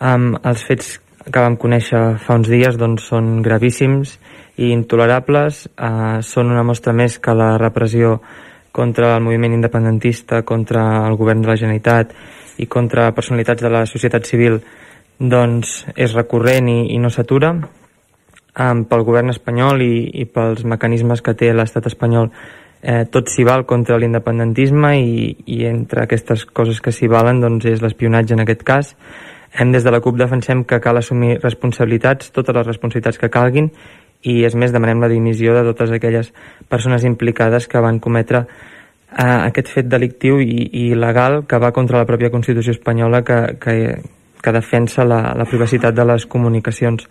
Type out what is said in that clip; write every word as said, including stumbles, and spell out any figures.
Um, els fets que vam conèixer fa uns dies doncs, són gravíssims i intolerables. Uh, són una mostra més que la repressió contra el moviment independentista, contra el govern de la Generalitat i contra personalitats de la societat civil doncs, és recurrent i, i no s'atura. Um, pel govern espanyol i, i pels mecanismes que té l'estat espanyol, eh, tot s'hi val contra l'independentisme i, i entre aquestes coses que s'hi valen doncs, és l'espionatge en aquest cas. Hem, des de la CUP defensem que cal assumir responsabilitats, totes les responsabilitats que calguin, i és més, demanem la dimissió de totes aquelles persones implicades que van cometre eh, aquest fet delictiu i, i il·legal que va contra la pròpia Constitució espanyola que, que, que defensa la, la privacitat de les comunicacions.